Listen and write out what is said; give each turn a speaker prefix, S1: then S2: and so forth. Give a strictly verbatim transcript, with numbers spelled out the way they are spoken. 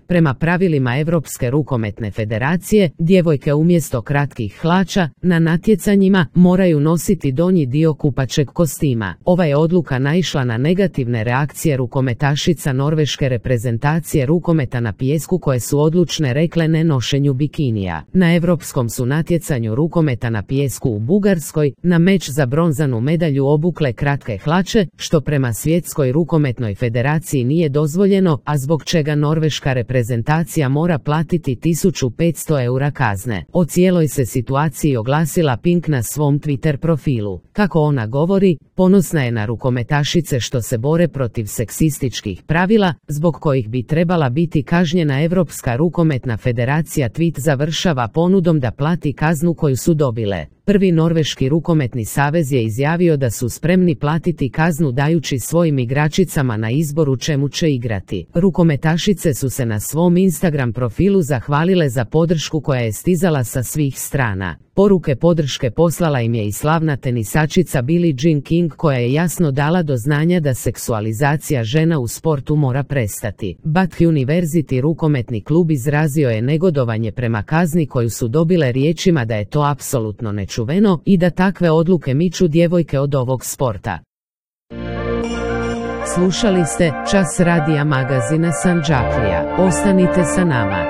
S1: Prema pravilima Europske rukometne federacije, djevojke umjesto kratkih hlača na natjecanjima moraju nositi donji dio kupaćeg kostima. Ova je odluka naišla na negativne reakcije rukometašica norveške reprezentacije rukometa na pijesku koje su odlučne rekle ne nošenju bikinija. Na europskom su natjecanju rukometa na pijesku u Bugarskoj na meč za bronzanu medalju obukle kratke hlače, što prema Svjetskoj rukometnoj federaciji nije dozvoljeno, a zbog čega norveška reprezentacija mora platiti tisuću petsto eura kazne. O cijeloj se situaciji oglasila Pink na svom Twitter profilu. Kako ona govori, ponosna je na rukometašice što se bore protiv seksističkih pravila, zbog kojih bi trebala biti kažnjena Europska rukometna federacija. Tweet završava ponudom da plati kaznu koju su dobile. Prvi norveški rukometni savez je izjavio da su spremni platiti kaznu dajući svojim igračicama na izbor u čemu će igrati. Rukometašice su se na svom Instagram profilu zahvalile za podršku koja je stizala sa svih strana. Poruke podrške poslala im je i slavna tenisačica Billie Jean King koja je jasno dala do znanja da seksualizacija žena u sportu mora prestati. Bath University rukometni klub izrazio je negodovanje prema kazni koju su dobile riječima da je to apsolutno nečuveno i da takve odluke miču djevojke od ovog sporta. Slušali ste Čas radija magazina Sandžaklija. Ostanite sa nama.